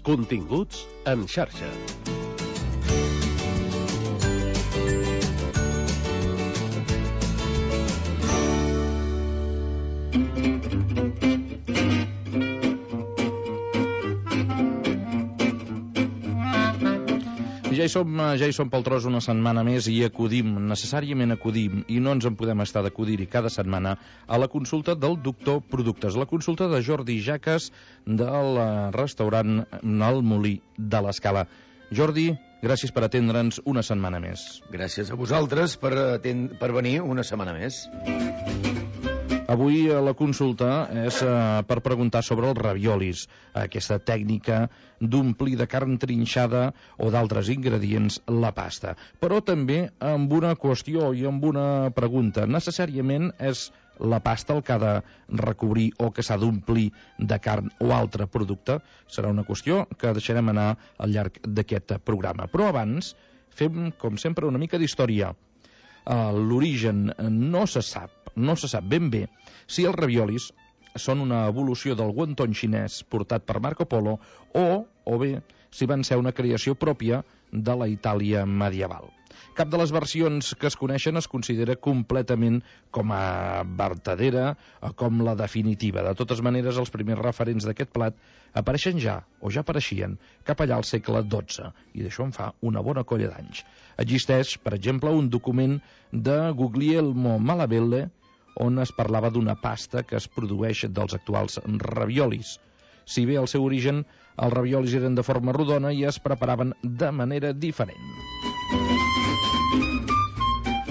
Continguts en xarxa. Ja hi som pel tros una setmana més i necessàriament acudim, i no ens en podem estar d'acudir-hi cada setmana, a la consulta del doctor Productes, la consulta de Jordi Jaques del restaurant El Molí de l'Escala. Jordi, gràcies per atendre'ns una setmana més. Gràcies a vosaltres per venir una setmana més. Avui la consulta és per preguntar sobre els raviolis, aquesta tècnica d'omplir de carn trinxada o d'altres ingredients la pasta. Però també amb una qüestió i amb una pregunta. Necessàriament és la pasta el que ha de recobrir o que s'ha d'omplir de carn o altre producte? Serà una qüestió que deixarem anar al llarg d'aquest programa. Però abans fem, com sempre, una mica d'història. L'origen no se sap ben bé si els raviolis són una evolució del wonton xinès portat per Marco Polo o bé si van ser una creació pròpia de la Itàlia medieval. Cap de les versions que es coneixen es considera completament com a vertadera o com la definitiva. De totes maneres, els primers referents d'aquest plat apareixen ja apareixien cap allà al segle XII, i d'això en fa una bona colla d'anys. Existeix, per exemple, un document de Guglielmo Malabelle on es parlava d'una pasta que es produeix dels actuals raviolis. Si bé al seu origen els raviolis eren de forma rodona i es preparaven de manera diferent.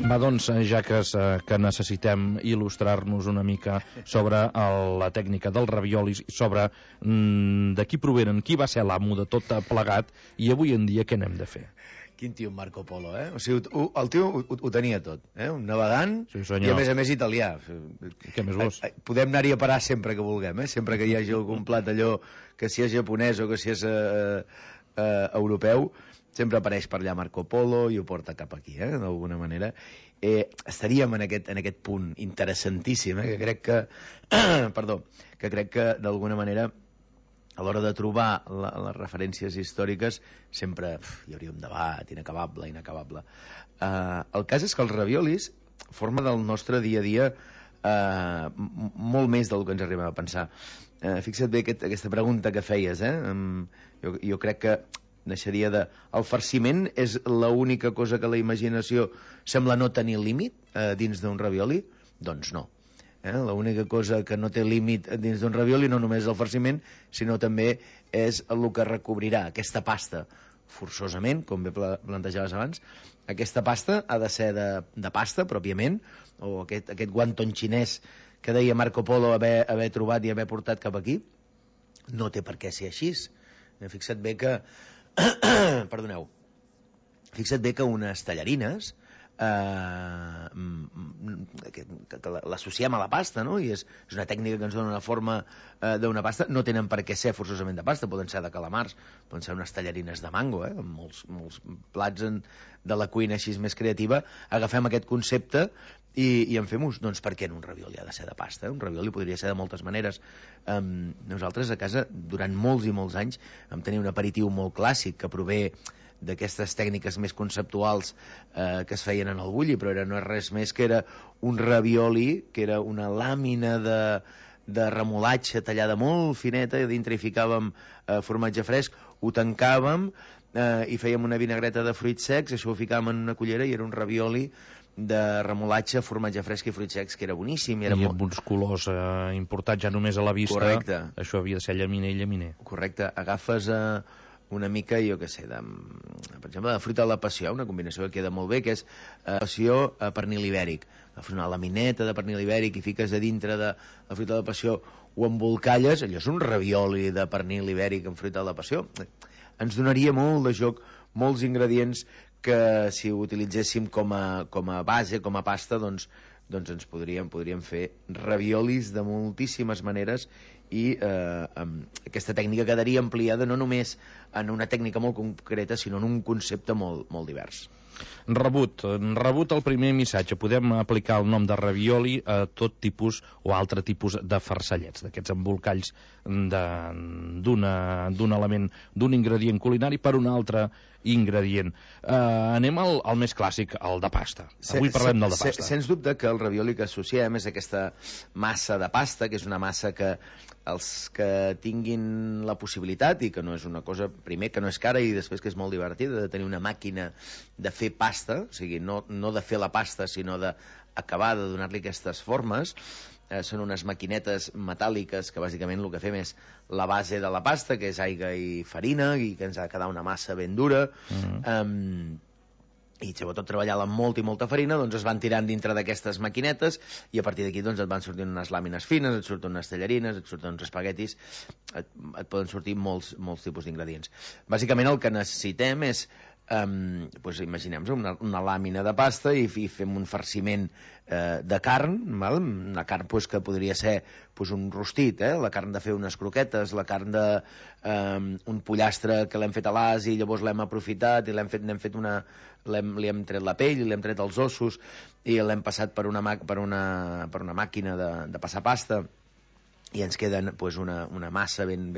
Va, doncs, ja que necessitem il·lustrar-nos una mica sobre la tècnica dels raviolis, sobre de qui provenen, qui va ser l'amo de tot plegat, i avui en dia què n'hem de fer? Quin tio, Marco Polo, eh? O sigui, el tio ho tenia tot, eh? Un navegant, sí, i a més italià. Què més vols? Podem anar-hi a parar sempre que vulguem, eh? Sempre que hi hagi algun plat allò, que si és japonès o que si és europeu, sempre apareix per allà Marco Polo i ho porta cap aquí, d'alguna manera. Estaríem en aquest punt interessantíssim, que crec que d'alguna manera a l'hora de trobar les referències històriques sempre hi hauria un debat inacabable. El cas és que els raviolis formen del nostre dia a dia molt més del que ens arribem a pensar. Fixa't bé aquesta pregunta que feies, jo crec que naixeria de... El farciment és l'única cosa que la imaginació sembla no tenir límit dins d'un ravioli? Doncs no. L'única cosa que no té límit dins d'un ravioli no només és el farciment, sinó també és el que recobrirà aquesta pasta. Forçosament, com bé plantejaves abans, aquesta pasta ha de ser de pasta pròpiament, o aquest wonton xinès que deia Marco Polo haver trobat i haver portat cap aquí, no té per què ser així. Fixa't bé que perdoneu, fixa't bé que unes tallarines que l'associem a la pasta, no? I és una tècnica que ens dona una forma d'una pasta. No tenen per què ser forçosament de pasta, poden ser de calamars, poden ser unes tallarines de mango, amb molts plats de la cuina així més creativa. Agafem aquest concepte i en fem ús. Doncs per què en un ravioli ha de ser de pasta? Un ravioli podria ser de moltes maneres. Nosaltres a casa durant molts i molts anys vam tenir un aperitiu molt clàssic que prové d'aquestes tècniques més conceptuals que es feien en el bulli, però no és res més que era un ravioli, que era una làmina de remolatge tallada molt fineta, i dintre hi ficàvem formatge fresc, ho tancàvem i fèiem una vinagreta de fruits secs, això ho ficàvem en una cullera i era un ravioli de remolatge, formatge fresc i fruits secs, que era boníssim. I amb uns colors importats ja només a la vista. Correcte. Això havia de ser llaminer i llaminer. Correcte. Agafes una mica, jo què sé, per exemple, de fruita de la passió, una combinació que queda molt bé, que és passió a pernil ibèric. Agafes una lamineta de pernil ibèric i fiques a dintre de la fruita de la passió, ho embolcalles, allò és un ravioli de pernil ibèric amb fruita de la passió. Ens donaria molt de joc, molts ingredients que si ho utilitzéssim com a base, com a pasta, doncs ens podríem fer raviolis de moltíssimes maneres, i aquesta tècnica quedaria ampliada no només en una tècnica molt concreta, sinó en un concepte molt, molt divers. Rebut el primer missatge. Podem aplicar el nom de ravioli a tot tipus o altre tipus de farcellets, d'aquests embolcalls d'un element, d'un ingredient culinari per un altre ingredient. Anem al més clàssic, el de pasta. Avui parlem del de pasta. Sens dubte que el ravioli que associem és aquesta massa de pasta, que és una massa que els que tinguin la possibilitat, i que no és una cosa, primer, que no és cara, i després que és molt divertida, de tenir una màquina de fer pasta, o sigui, no de fer la pasta, sinó d'acabar de donar-li aquestes formes. Són unes maquinetes metàl·liques que bàsicament el que fem és la base de la pasta, que és aigua i farina, i que ens ha de quedar una massa ben dura. I sobretot treballant amb molta i molta farina, doncs es van tirant dintre d'aquestes maquinetes, i a partir d'aquí doncs et van sortint unes làmines fines, et surten unes tallarines, et surten uns espaguetis, et poden sortir molts tipus d'ingredients. Bàsicament el que necessitem és doncs imaginem-nos una làmina de pasta i fem un farciment de carn, val? Una carn doncs, que podria ser doncs, un rostit, la carn de fer unes croquetes, la carn d'un pollastre que l'hem fet a l'as i llavors l'hem aprofitat i li hem tret la pell, li hem tret els ossos i l'hem passat per una màquina de passar pasta, i ens queda doncs, una massa ben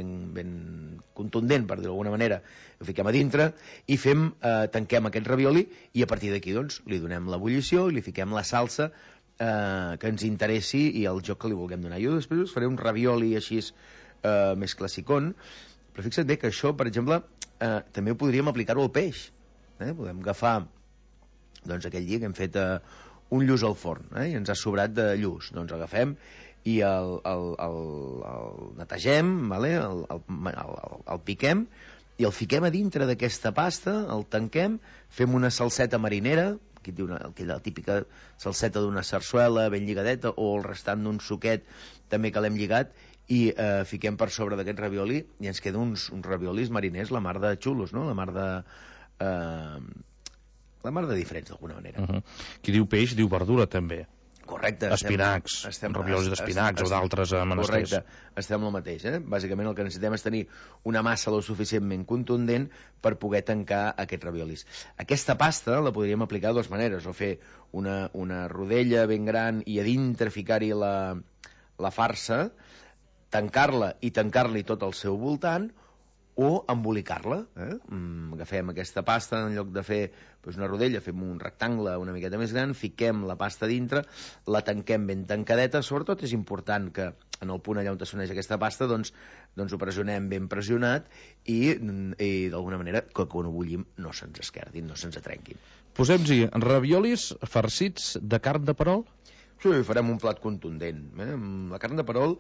contundent, per dir-ho d'alguna manera. Ho fiquem a dintre i tanquem aquest ravioli, i a partir d'aquí doncs, li donem l'ebullició i li fiquem la salsa que ens interessi i el joc que li vulguem donar. Jo després us faré un ravioli així més classicón, però fixa't bé que això, per exemple, també podríem aplicar-ho al peix. Podem agafar doncs, aquell dia que hem fet un lluç al forn, i ens ha sobrat de lluç, doncs agafem i el netegem, el piquem i el fiquem a dintre d'aquesta pasta, el tanquem, fem una salseta marinera, aquí diu aquella típica salseta d'una sarsuela ben lligadeta, o el restant d'un suquet també que l'hem lligat, i fiquem per sobre d'aquest ravioli i ens queden uns raviolis mariners, la mar de xulos, no? La mar de diferents, d'alguna manera. Qui diu peix, diu verdura, també. Correcte. Espinacs, raviolis d'espinacs o d'altres menesters. Correcte, estem el mateix. Bàsicament el que necessitem és tenir una massa lo suficientment contundent per poder tancar aquests raviolis. Aquesta pasta la podríem aplicar de dues maneres, o fer una rodella ben gran i a dintre ficar-hi la farsa, tancar-la i tancar-li tot al seu voltant, o embolicar-la. Agafem aquesta pasta, en lloc de fer una rodella, fem un rectangle una miqueta més gran, fiquem la pasta dintre, la tanquem ben tancadeta. Sobretot és important que en el punt allà on s'uneix aquesta pasta doncs ho pressionem ben pressionat i d'alguna manera que quan ho bullim no se'ns esquerdin, no se'ns atrenquin. Posem-hi raviolis farcits de carn de perol? Sí, farem un plat contundent. La carn de perol,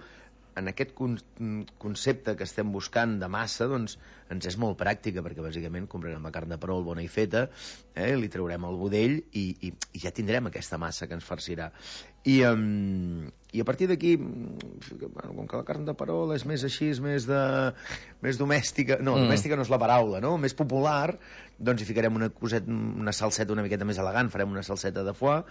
en aquest concepte que estem buscant de massa, doncs ens és molt pràctica, perquè bàsicament comprarem la carn de perol bona i feta, li traurem el budell i ja tindrem aquesta massa que ens farcirà. I a partir d'aquí, com que la carn de perol és més així, és més domèstica, domèstica no és la paraula, no? Més popular, doncs hi ficarem una salseta una miqueta més elegant, farem una salseta de foie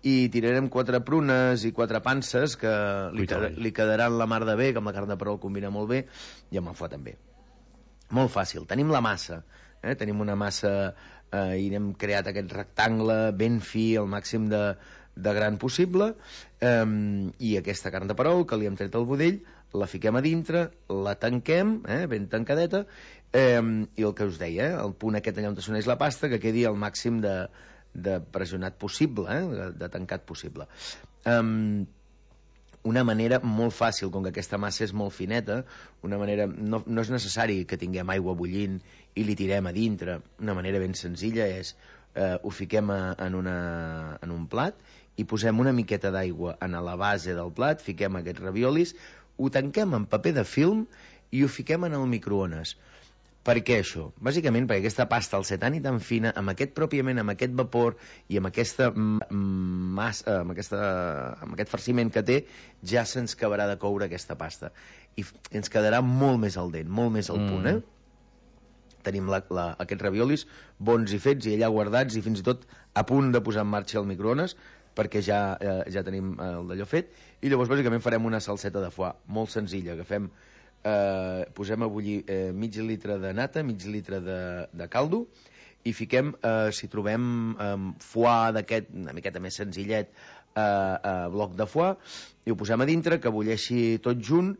i tirarem 4 prunes i 4 panses que li quedaran la mar de bé, que amb la carn de perol combina molt bé, i amb el foie també. Molt fàcil, tenim la massa, tenim una massa i n'hem creat aquest rectangle ben fi, al màxim de gran possible, i aquesta carn de perol que li hem tret el budell la fiquem a dintre, la tanquem ben tancadeta, i el que us deia, el punt aquest allà on s'uneix la pasta, que quedi al màxim de pressionat possible, de tancat possible. Una manera molt fàcil, com que aquesta massa és molt fineta, una manera, no és necessari que tinguem aigua bullint i li tirem a dintre, una manera ben senzilla és ho fiquem en un plat i posem una miqueta d'aigua a la base del plat, fiquem aquests raviolis, ho tanquem amb paper de film i ho fiquem en el microones. Per què això? Bàsicament perquè aquesta pasta, al ser tan i tan fina, amb aquest vapor i amb aquesta massa, amb aquest farciment que té, ja se'ns acabarà de coure aquesta pasta. I ens quedarà molt més al dent, molt més al punt, Tenim aquests raviolis bons i fets i allà guardats i fins i tot a punt de posar en marxa el microones, perquè ja tenim el d'allò fet, i llavors bàsicament farem una salseta de foie, molt senzilla. Agafem, posem a bullir mig litre de nata, mig litre de caldo, i fiquem, si trobem foie d'aquest, una miqueta més senzillet, bloc de foie, i ho posem a dintre, que bulleixi tot junt,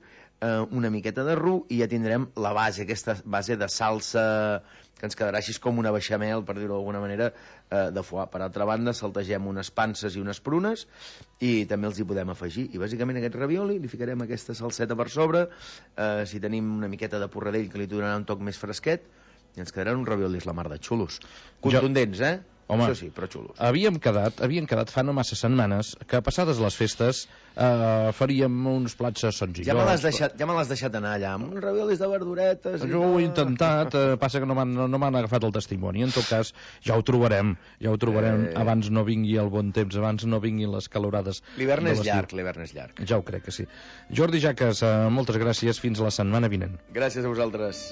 una miqueta de ru, i ja tindrem la base, aquesta base de salsa que ens quedarà així com una beixamel, per dir-ho d'alguna manera, de foie. Per altra banda, saltegem unes panses i unes prunes i també els hi podem afegir. I bàsicament aquest ravioli li ficarem aquesta salseta per sobre, si tenim una miqueta de porradell que li donarà un toc més fresquet, i ens quedaran uns raviolis la mar de xulos. Contundents, Home, això sí, però xulos. Havíem quedat fa no massa setmanes que passades les festes faríem uns plats senzills. Ja me l'has deixat anar allà, amb uns raviolis de verduretes... Jo ho he intentat, passa que no m'han agafat el testimoni. En tot cas, ja ho trobarem, abans no vingui el bon temps, abans no vinguin les calorades. L'hivern és llarg. Ja ho crec que sí. Jordi Jaques, moltes gràcies, fins la setmana vinent. Gràcies a vosaltres.